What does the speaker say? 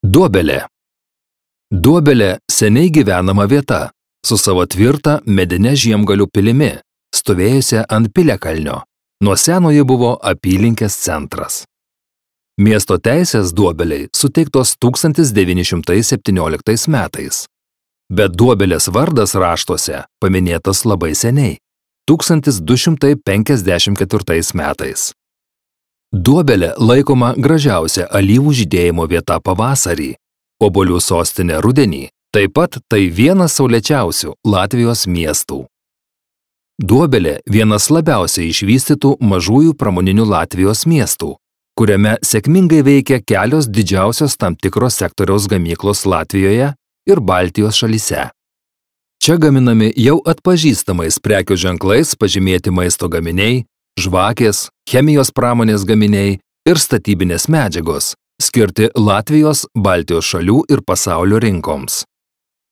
Duobelė. Duobelė seniai gyvenama vieta, su savo tvirta medine Žiemgalių pilimi, stovėjusia ant piliakalnio. Nuo seno ji buvo apylinkės centras. Miesto teisės Duobelei suteiktos 1917 metais. Bet Duobelės vardas raštuose paminėtas labai seniai – 1254 metais. Duobelė laikoma gražiausia alyvų žydėjimo vieta pavasarį, obuolių sostinė rudenį, taip pat tai vienas saulėčiausių Latvijos miestų. Duobelė vienas labiausiai išvystytų mažųjų pramoninių Latvijos miestų, kuriame sėkmingai veikia kelios didžiausios tam tikros sektoriaus gamyklos Latvijoje ir Baltijos šalyse. Čia gaminami jau atpažįstamais prekių ženklais pažymėti maisto gaminiai, žvakės, chemijos pramonės gaminiai ir statybinės medžiagos, skirti Latvijos, Baltijos šalių ir pasaulio rinkoms.